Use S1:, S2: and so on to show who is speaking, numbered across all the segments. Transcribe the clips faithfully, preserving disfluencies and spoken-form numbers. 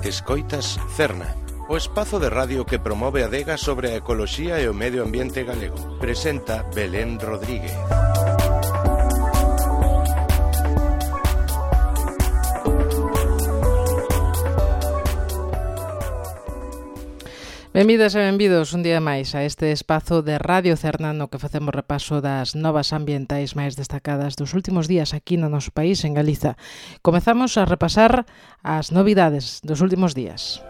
S1: Escoitas Cerna, o espazo de radio que promove a adega sobre a ecoloxía e o medio ambiente galego. Presenta Belén Rodríguez.
S2: Benvidas e benvidos un día máis a este espazo de Radio Cerna no que facemos repaso das novas ambientais máis destacadas dos últimos días aquí no noso país, en Galiza. Comezamos a repasar as novidades dos últimos días.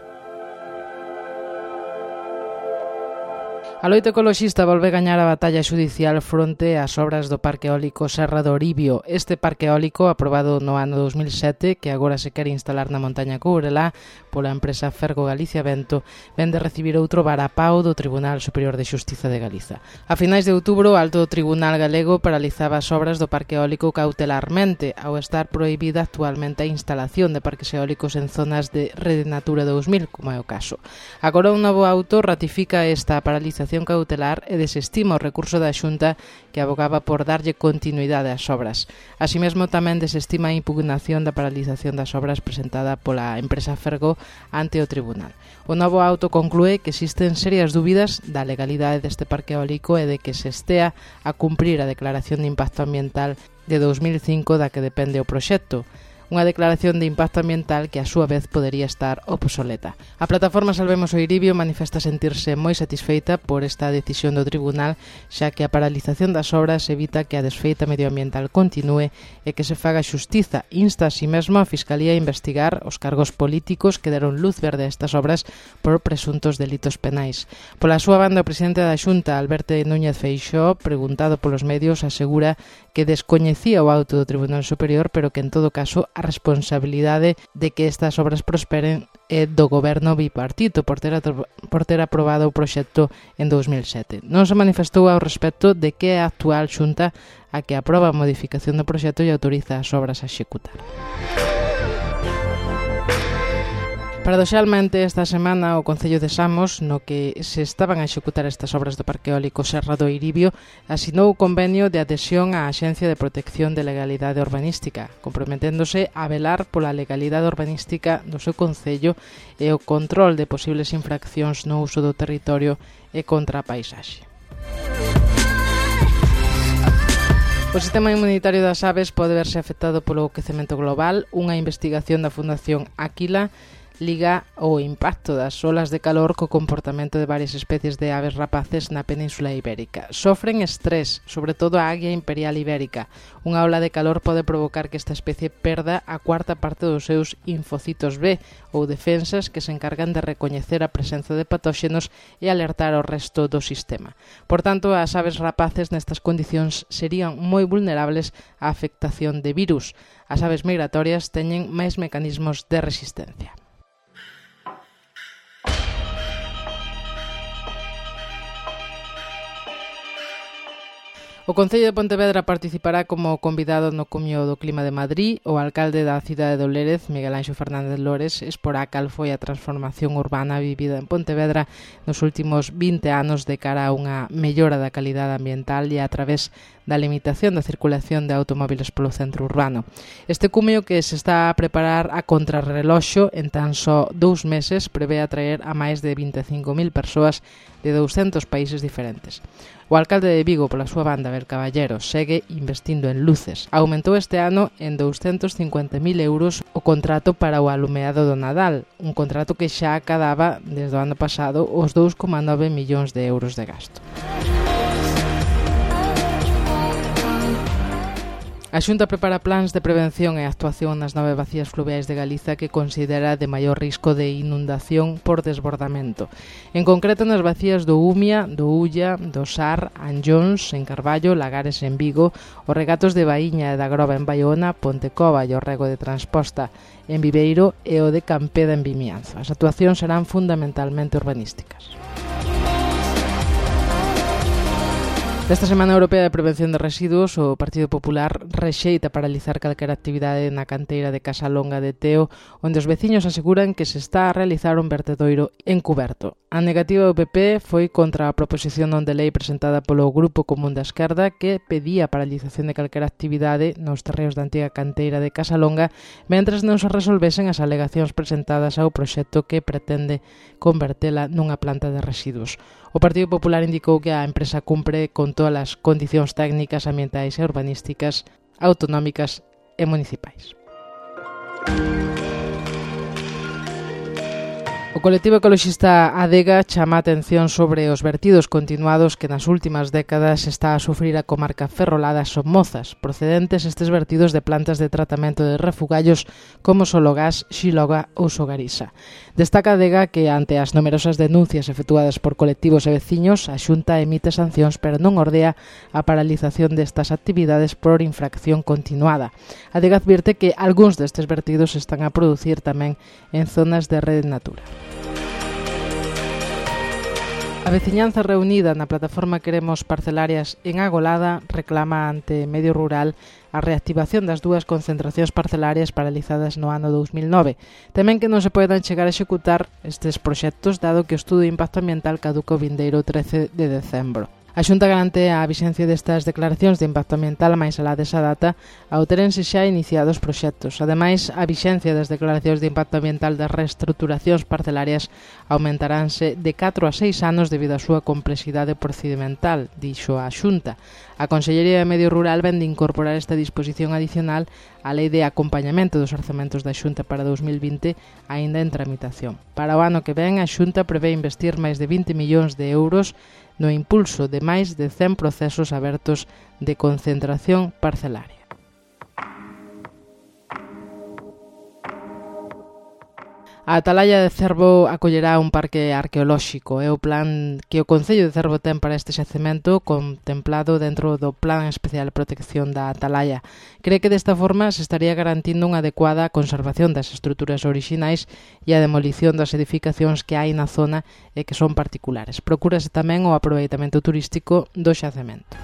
S2: A loita ecoloxista volve gañar a batalla xudicial fronte ás obras do Parque Eólico Serra do Oribio. Este parque eólico, aprobado no ano dos mil sete, que agora se quere instalar na montaña Courelá pola empresa Fergo Galicia Vento, ven de recibir outro varapao do Tribunal Superior de Xustiza de Galiza. A finais de outubro, o Alto Tribunal Galego paralizaba as obras do Parque Eólico cautelarmente, ao estar prohibida actualmente a instalación de parques eólicos en zonas de Rede Natura dous mil, como é o caso. Agora un novo auto ratifica esta paralización cautelar e desestima o recurso da Xunta que abogaba por darlle continuidade ás obras. Así mesmo tamén desestima a impugnación da paralización das obras presentada pola empresa Fergo ante o Tribunal. O novo auto conclúe que existen serias dúbidas da legalidade deste parque eólico e de que se estea a cumprir a declaración de impacto ambiental de dos mil cinco da que depende o proxecto. Unha declaración de impacto ambiental que a súa vez podería estar obsoleta. A plataforma Salvemos o Iribio manifesta sentirse moi satisfeita por esta decisión do tribunal, xa que a paralización das obras evita que a desfeita medioambiental continúe e que se faga xustiza. Insta así mesmo a Fiscalía a investigar os cargos políticos que deron luz verde a estas obras por presuntos delitos penais. Pola súa banda, o presidente da Xunta, Alberto Núñez Feixóo, preguntado polos medios, asegura que descoñecía o auto do Tribunal Superior, pero que en todo caso a responsabilidade de que estas obras prosperen é do goberno bipartito por ter, por ter aprobado o proxecto en dos mil sete. Non se manifestou ao respecto de que é a actual Xunta a que aproba a modificación do proxecto e autoriza as obras a executar. Paradoxalmente, esta semana o Concello de Samos, no que se estaban a executar estas obras do Parque Eólico Serra do Iribio, asinou o convenio de adhesión á Axencia de Protección de Legalidade Urbanística, comprometéndose a velar pola legalidade urbanística do seu Concello e o control de posibles infraccións no uso do territorio e contra a paisaxe. O sistema inmunitario das aves pode verse afectado polo aquecemento global. Unha investigación da Fundación Áquila liga o impacto das olas de calor co comportamento de varias especies de aves rapaces na Península Ibérica. Sofren estrés, sobre todo a águia imperial ibérica. Unha ola de calor pode provocar que esta especie perda a cuarta parte dos seus infocitos B, ou defensas que se encargan de recoñecer a presenza de patóxenos e alertar ao resto do sistema. Por tanto, as aves rapaces nestas condicións serían moi vulnerables á afectación de virus. As aves migratorias teñen máis mecanismos de resistencia. O Concello de Pontevedra participará como convidado no Cumio do Clima de Madrid. O alcalde da cidade de Lérez, Miguel Anxo Fernández Lores, exporá cal foi a transformación urbana vivida en Pontevedra nos últimos vinte anos de cara a unha mellora da calidade ambiental e a través da limitación da circulación de automóbiles polo centro urbano. Este cumio, que se está a preparar a contrarreloxo en tan só dous meses, prevé atraer a máis de vinte e cinco mil persoas de douscentos países diferentes. O alcalde de Vigo, pola súa banda, Abel Caballero, segue investindo en luces. Aumentou este ano en douscentos cincuenta mil euros o contrato para o alumeado do Nadal, un contrato que xa acadaba desde o ano pasado os dous coma nove millóns de euros de gasto. A Xunta prepara plans de prevención e actuación nas nove bacías fluviais de Galiza que considera de maior risco de inundación por desbordamento. En concreto nas bacías do Umia, do Ulla, do Sar, Anllóns, en Carballo, Lagares en Vigo, os regatos de Baíña e da Groba en Baiona, Pontecova e o rego de Transposta en Viveiro e o de Campeda en Vimianzo. As actuacións serán fundamentalmente urbanísticas. Nesta Semana Europea de Prevención de Residuos, o Partido Popular rexeita paralizar calquera actividade na canteira de Casa Longa de Teo, onde os veciños aseguran que se está a realizar un vertedoiro encuberto. A negativa do P P foi contra a proposición non de lei presentada polo Grupo Común da Esquerda, que pedía a paralización de calquera actividade nos terreos da antiga canteira de Casa Longa, mentres non se resolvesen as alegacións presentadas ao proxecto que pretende convertela nunha planta de residuos. O Partido Popular indicou que a empresa cumpre con todas as condicións técnicas, ambientais e urbanísticas autonómicas e municipais. O colectivo ecoloxista Adega chama a atención sobre os vertidos continuados que nas últimas décadas está a sufrir a comarca ferrolada Somozas, procedentes estes vertidos de plantas de tratamento de refugallos como Sologás, Xiloga ou Sogarisa. Destaca Adega que ante as numerosas denuncias efectuadas por colectivos e veciños, a Xunta emite sancións pero non ordea a paralización destas actividades por infracción continuada. Adega advirte que algúns destes vertidos están a producir tamén en zonas de Rede Natura. A veciñanza reunida na plataforma Queremos Parcelarias en Agolada reclama ante Medio Rural a reactivación das dúas concentracións parcelarias paralizadas no ano dous mil nove. Temen que non se poidan chegar a executar estes proxectos dado que o estudo de impacto ambiental caduca o vindeiro trece de decembro. A Xunta garante a vixencia destas declaracións de impacto ambiental máis alá desa data ao terense xa iniciados proxectos. Ademais, a vixencia das declaracións de impacto ambiental das reestruturacións parcelarias aumentaránse de catro a seis anos debido á súa complexidade procedimental, dixo a Xunta. A Consellería de Medio Rural vende incorporar esta disposición adicional á Lei de Acompañamento dos Orzamentos da Xunta para dous mil vinte, aínda en tramitación. Para o ano que ven, a Xunta prevé investir máis de vinte millóns de euros no impulso de máis de cen procesos abertos de concentración parcelaria. A Atalaya de Cervo acollerá un parque arqueolóxico. É o plan que o Concello de Cervo ten para este xacemento contemplado dentro do Plan Especial de Protección da Atalaya. Cree que desta forma se estaría garantindo unha adecuada conservación das estruturas orixinais e a demolición das edificacións que hai na zona e que son particulares. Procúrase tamén o aproveitamento turístico do xacemento.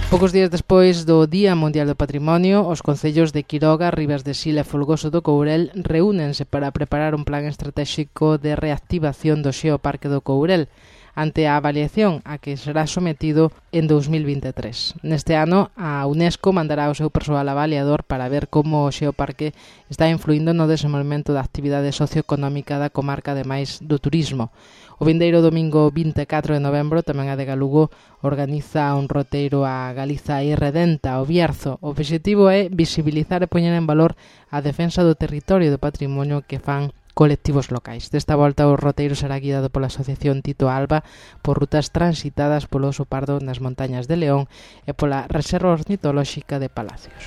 S2: Poucos días despois do Día Mundial do Patrimonio, os concellos de Quiroga, Ribas de Sil e Folgoso do Courel reúnense para preparar un plan estratéxico de reactivación do Xeoparque do Courel ante a avaliación a que será sometido en dous mil vinte e tres. Neste ano, a UNESCO mandará o seu persoal avaliador para ver como o Xeoparque está influindo no desenvolvemento da actividade socioeconómica da comarca, ademais do turismo. O vindeiro domingo vinte e catro de novembro tamén a Adega Lugo organiza un roteiro a Galiza irredenta, o Bierzo. O obxectivo é visibilizar e poñer en valor a defensa do territorio e do patrimonio que fan colectivos locais. Desta volta o roteiro será guiado pola Asociación Tito Alba por rutas transitadas polo oso pardo nas montañas de León e pola Reserva Ornitolóxica de Palacios.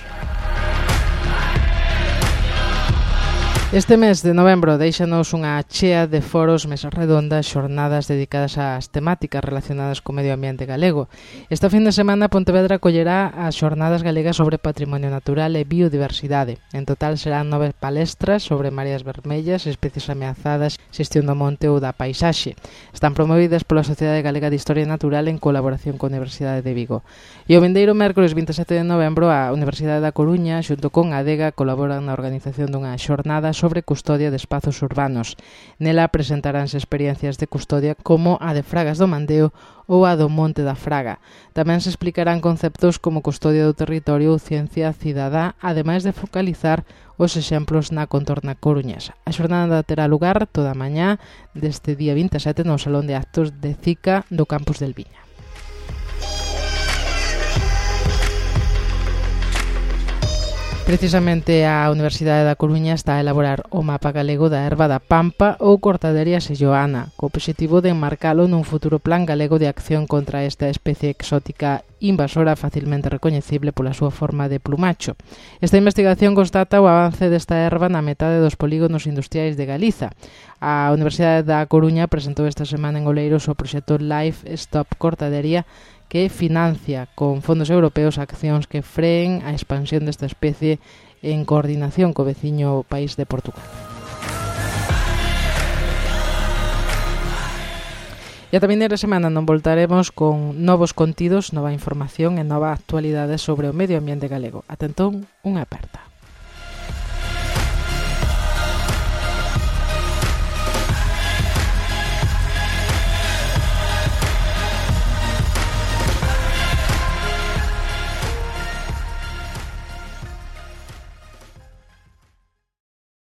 S2: Este mes de novembro deixanos unha chea de foros, mesas redondas, xornadas dedicadas ás temáticas relacionadas co medio ambiente galego. Esta fin de semana Pontevedra acollerá as xornadas galegas sobre patrimonio natural e biodiversidade. En total serán nove palestras sobre mareas vermellas, especies ameazadas, xestión do monte ou da paisaxe. Están promovidas pola Sociedade Galega de Historia Natural en colaboración coa Universidade de Vigo. E o vindeiro mércoles vinte e sete de novembro a Universidade da Coruña xunto con Adega colaboran na organización dunha xornada sobre custodia de espazos urbanos. Nela presentaránse experiencias de custodia como a de Fragas do Mandeo ou a do Monte da Fraga. Tamén se explicarán conceptos como custodia do territorio ou ciencia cidadá, ademais de focalizar os exemplos na contorna coruñesa. A xornada terá lugar toda a mañá deste día vinte e sete no Salón de Actos de Cica do Campus del Viña. Precisamente a Universidade da Coruña está a elaborar o mapa galego da erva da Pampa ou cortaderia selloana, co obxectivo de enmarcalo nun futuro plan galego de acción contra esta especie exótica invasora facilmente recoñecible pola súa forma de plumacho. Esta investigación constata o avance desta erva na metade dos polígonos industriais de Galiza. A Universidade da Coruña presentou esta semana en Oleiros o proxecto Life Stop Cortadería, que financia con fondos europeos accións que freen a expansión desta especie en coordinación co veciño país de Portugal. E a vindeira semana non voltaremos con novos contidos, nova información e nova actualidade sobre o medio ambiente galego. Ata entón, unha aperta.